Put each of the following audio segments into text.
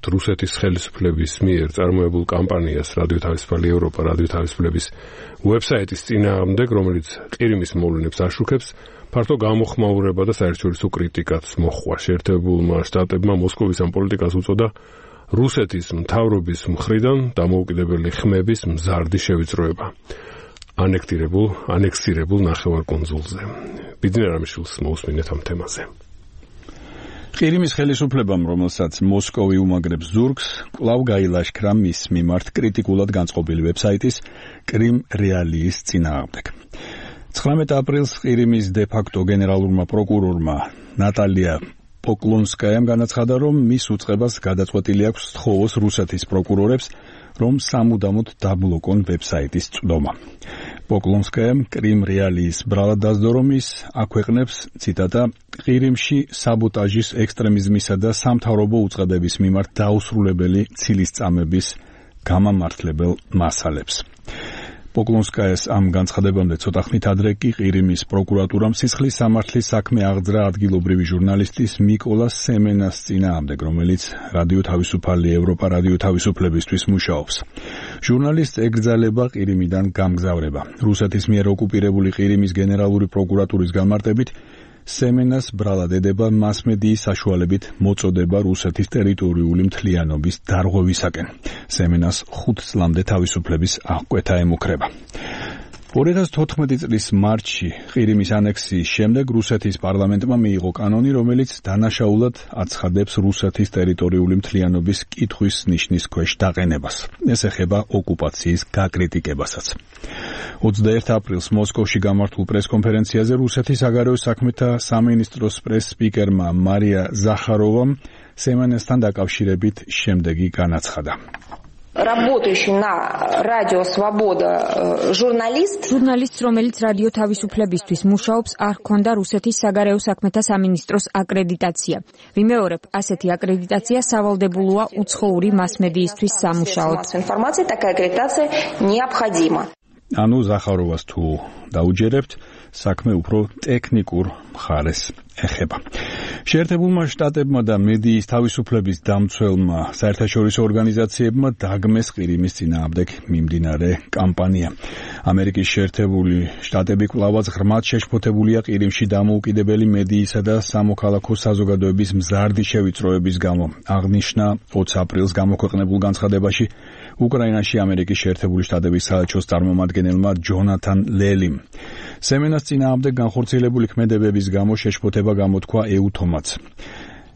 ვამბობთ რუსეთის ხელისუფლების მიერ წარმოებულ კამპანიას რადიო თავისუფალი ევროპა, რადიო თავისუფლების ვებსაიტის წინააღმდეგ, რომელიც ყირიმის მოვლენებს აშუქებს, ფართო გამოხმაურება და საერთაშორისო კრიტიკაც მოჰყვა. შეერთებულმა შტატებმა მოსკოვის ამ პოლიტიკას უწოდა რუსეთის მთავრობის მხრიდან დამოუკიდებელი ხმების მზარდი შევიწროება ანექსირებულ ნახევარკუნძულზე. ბიძინა რამიშვილს მოусმინეთ ამ თემაზე. ყირიმის ხელისუფლებამ, რომელსაც მოსკოვი უმაგრებს ზურგს, კვლავ გაილაშქრა მის მიმართ კრიტიკულად განწყობილი ვებსაიტის კრიმ რეალიის წინააღმდეგ. 19 აპრილს ყირიმის დე-ფაქტო გენერალურმა პროკურორმა ნატალია პოკლონსკაიამ განაცხადა, რომ მის უწყებას გადაწყვეტილი აქვს სთხოვოს რუსეთის პროკურორებს, რომ სამუდამოდ დაბლოკონ ვებსაიტის წვდომა. პოკლონსკაიამ კრიმ რეალიის ბრალად დასდო, რომ ის აქვეყნებს, ციტატა, ყირიმში საბოტაჟის, ექსტრემიზმისა და სამთავრობო უწყებების მიმართ დაუსრულებელი ცილისწამების გამამართლებელ მასალებს. პოკლონსკაიას ამ განცხადებამდე ცოტა ხნით ადრე კი ყირიმის პროკურატურამ სისხლის სამართლის საქმე აღძრა ადგილობრივი ჟურნალისტის მიკოლა სემენას წინააღმდეგ, რომელიც რადიო თავისუფალი ევროპა, რადიო თავისუფლებისთვის მუშაობს. ჟურნალისტს ეკრძალება ყირიმიდან გამგზავრება. რუსეთის მიერ ოკუპირებული ყირიმის გენერალური პროკურატურის განმარტებით, სემენას ბრალად ედება მასმედიის საშუალებით მოწოდება რუსეთის ტერიტორიული მთლიანობის დარღვევისაკენ. სემენას 5 წლამდე თავისუფლების აღკვეთა ემუქრება. 2014 წლის მარტში ყირიმის ანექსიის შემდეგ რუსეთის პარლამენტმა მიიღო კანონი, რომელიც დანაშაულად აცხადებს რუსეთის ტერიტორიული მთლიანობის კითხვის ნიშნის ქვეშ დაყენებას. ეს ეხება ოკუპაციის გაკრიტიკებასაც. 21 აპრილს მოსკოვში გამართულ პრესკონფერენციაზე რუსეთის საგარეო საქმეთა სამინისტროს პრეს-სპიკერმა მარია ზახაროვამ სემენასთან დაკავშირებით შემდეგი განაცხადა. Работающий на радио Свобода ჟურნალისტს, რომელიც რადიო თავისუფლებისთვის მუშაობს, არ ჰქონდა რუსეთის საგარეო საქმეთა სამინისტროს აკრედიტაცია. ვიმეორებ, ასეთი აკრედიტაცია სავალდებულოა უცხოური მასმედიისთვის სამუშაოდ. Информация такая аккредитация необходима. ანუ ზახაროვას თუ დაუჯერებთ, საქმე უფრო ტექნიკურ მხარეს ეხება. შეერთებულმა შტატებმა და მედიის თავისუფლების დამცველმა საერთაშორისო ორგანიზაციებმა დაგმეს ყირიმის წინააღმდეგ მიმდინარე კამპანია. ამერიკის შეერთებული შტატები კვლავაც ღრმად შეშფოთებულია ყირიმში დამოუკიდებელი მედიისა და სამოქალაქო საზოგადოების მზარდი შევიწროების გამო. აღნიშნა 20 აპრილს გამოქვეყნებულ განცხადებაში უკრაინაში ამერიკის შეერთებული შტატების საელჩოს წარმომადგენელმა ჯონათან ლელიმ. სემენას წინააღმდეგ განხორციელებული ქმედებების გამო შეშფოთება გამოთქვა ეუთომაც.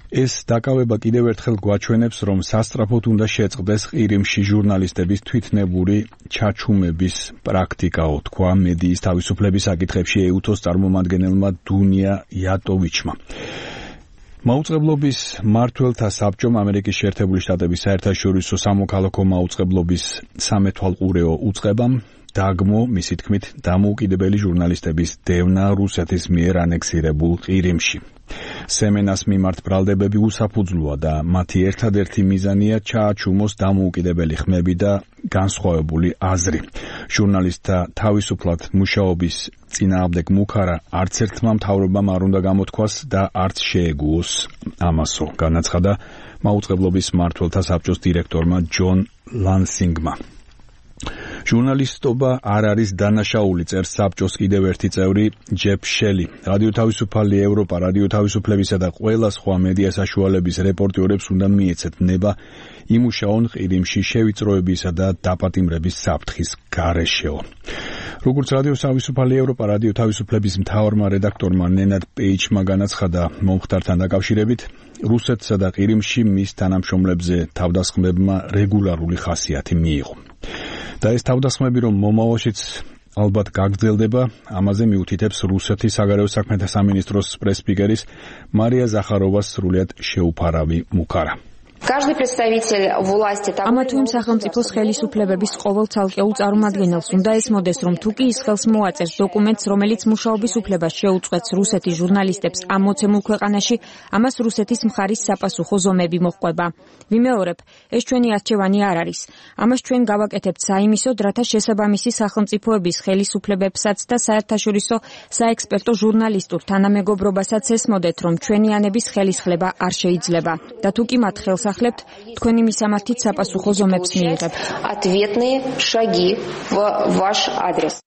ეს დაკავება კიდევ ერთხელ გვაჩვენებს, რომ სასწრაფოდ უნდა შეწყდეს ყირიმში ჟურნალისტების თვითნებური ჩაჩუმების პრაქტიკაო, თქვა მედიის თავისუფლების საკითხებში ეუთოს წარმომადგენელმა დუნია იატოვიჩმა. მაუწყებლობის მმართველთა საბჭომ ამერიკის შეერთებული შტატების საერთაშორისო სამოქალაქო მაუწყებლობის სამეთვალყურეო უწყებამ დაგმო, მისი თქმით, დამოუკიდებელი ჟურნალისტების დევნა რუსეთის მიერ ანექსირებულ ყირიმში. სემენას მიმართ ბრალდებები უსაფუძვლოა და მათი ერთადერთი მიზანია ჩააჩუმოს დამოუკიდებელი ხმები და განსხვავებული აზრი. ჟურნალისტთა თავისუფლად მუშაობის წინააღმდეგ მუქარა არც ერთმა მთავრობამ არ უნდა გამოთქვას და არც შეეგუოს ამასო, განაცხადა მაუწყებლობის მმართველთა საბჭოს დირექტორმა ჯონ ლანსინგმა. ჟურნალისტობა არ არის დანაშაული, წერს საბჭოს კიდევ ერთი წევრი ჯეფ შელი. რადიო თავისუფალი ევროპა, რადიო თავისუფლებისა და ყველა სხვა მედია საშუალების რეპორტიორებს უნდა მიეცეთ ნება იმუშაონ ყირიმში შევიწროებისა და დაპატიმრების საფრთხის გარეშეო. როგორც რადიო თავისუფალი ევროპა, რადიო თავისუფლების მთავარმა რედაქტორმა ნენად პეიჩმა განაცხადა მომხდართან დაკავშირებით, რუსეთსა და ყირიმში მის თანამშრომლებზე თავდასხმებმა რეგულარული ხასიათი მიიღო. და ეს თავდასხმები, რომ მომავალშიც ალბათ გაგრძელდება, ამაზე მიუთითებს რუსეთის საგარეო საქმეთა სამინისტროს პრეს-სპიკერის მარია ზახაროვას სრულიად შეუფარავი მუქარა. ამა თუ იმ სახელმწიფოს ხელისუფლებების ყოველ ცალკეულ წარმომადგენელს უნდა ესმოდეს, რომ თუ კი ის ხელს მოაწერს დოკუმენტს, რომელიც მუშაობის უფლებას შეუწყვეტს რუსეთის ჟურნალისტებს ამ მოცემულ ქვეყანაში, ამას რუსეთის მხარის საპასუხო ზომები მოჰყვება. ვიმეორებ, ეს ჩვენი არჩევანი არ არის. ამას ჩვენ გავაკეთებთ საიმისოდ, რათა შესაბამისი სახელმწიფოების ხელისუფლებებსაც და საერთაშორისო საექსპერტო ჟურნალისტურ თანამეგობრობასაც ესმოდეთ, რომ ჩვენი ანების ხელისხლება არ შეიძლება. და თუ კი მათ ხელს გასახლებთ, თქვენი მისამართით საპასუხო ზომებს მიიღებთ. Ответные шаги в ваш адрес.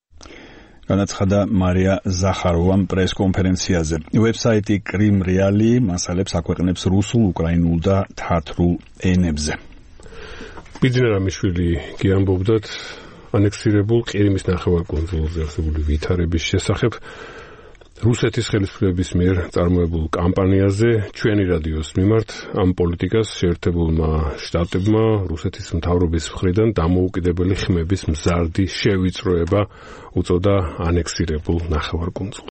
განაცხადა მარია ზახაროვამ პრესკონფერენციაზე. ვებსაიტი კრიმ რეალი მასალებს აქვეყნებს რუსულ, უკრაინულ და თათრულ ენებზე. ბიძინა რამიშვილი გიამბობდათ ანექსირებულ ყირიმის ნახევარკუნძულზე არსებული ვითარების შესახებ რუსეთის ხელისუფლების მიერ წარმოებულ კამპანიაზე ჩვენი რადიოს მიმართ ამ პოლიტიკას შეერთებულმა შტატებმა რუსეთის მთავრობის მხრიდან დამოუკიდებელი ხმების მზარდი შევიწროება უწოდა ანექსირებულ ნახევარკუნძულს.